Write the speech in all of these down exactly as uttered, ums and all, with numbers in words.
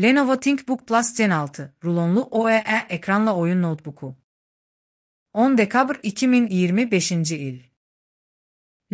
Lenovo ThinkBook Plus Gen altı, rulonlu O E E ekranla oyun notebook'u. on dekabr iki min iyirmi beşinci il.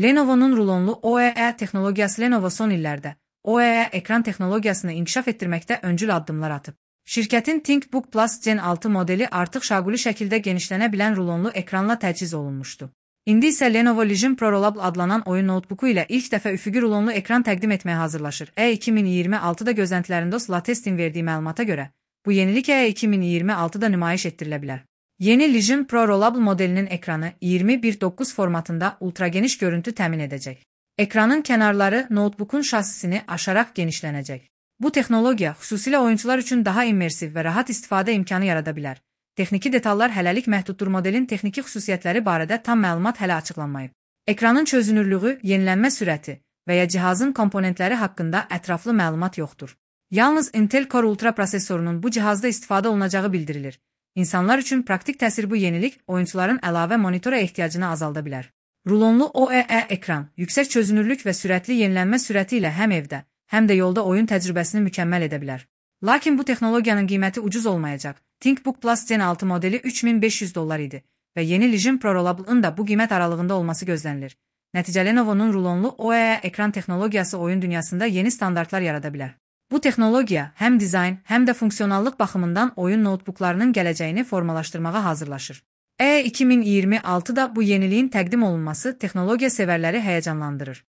Lenovo'nun rulonlu O E E teknologiyası Lenovo son illərdə O E E ekran texnologiyasını inkişaf etdirməkdə öncül addımlar atıb. Şirkətin ThinkBook Plus Gen altı modeli artıq şaquli şəkildə genişlənə bilən rulonlu ekranla təchiz olunmuşdu. İndi isə Lenovo Legion Pro Rollup adlanan oyun notebooku ilə ilk dəfə üfüqi rulonlu ekran təqdim etməyə hazırlaşır. E iki min iyirmi altıda gözləntilərində Latestin verdiyi məlumata görə, bu yenilik E iki min iyirmi altıda nümayiş etdirilə bilər. Yeni Legion Pro Rollup modelinin ekranı iyirmi bir doqquz formatında ultrageniş görüntü təmin edəcək. Ekranın kənarları notebookun şasisini aşaraq genişlənəcək. Bu texnologiya xüsusilə oyuncular üçün daha immersiv və rahat istifadə imkanı yarada bilər. Texniki detallar hələlik məhduddur. Modelin texniki xüsusiyyətləri barədə tam məlumat hələ açıqlanmayıb. Ekranın çözünürlüyü, yenilənmə sürəti və ya cihazın komponentləri haqqında ətraflı məlumat yoxdur. Yalnız Intel Core Ultra prosesorunun bu cihazda istifadə olunacağı bildirilir. İnsanlar üçün praktik təsir bu yenilik oyuncuların əlavə monitora ehtiyacını azalda bilər. Rulonlu O E E ekran, yüksək çözünürlük və sürətli yenilənmə sürəti ilə həm evdə, həm də yolda oyun təcrübəsini mükəmməl edə bilər. Lakin bu texnologiyanın qiyməti ucuz olmayacaq. ThinkBook Plus Gen altı modeli üç min beş yüz dollar idi və yeni Legion Pro Rollup'ın da bu qiymət aralığında olması gözlənilir. Nəticə Lenovo'nun rulonlu O E E ekran texnologiyası oyun dünyasında yeni standartlar yarada bilər. Bu texnologiya həm dizayn, həm də funksionallıq baxımından oyun notebooklarının gələcəyini formalaşdırmağa hazırlaşır. E iki min iyirmi altıda bu yeniliyin təqdim olunması texnologiya sevərləri həyəcanlandırır.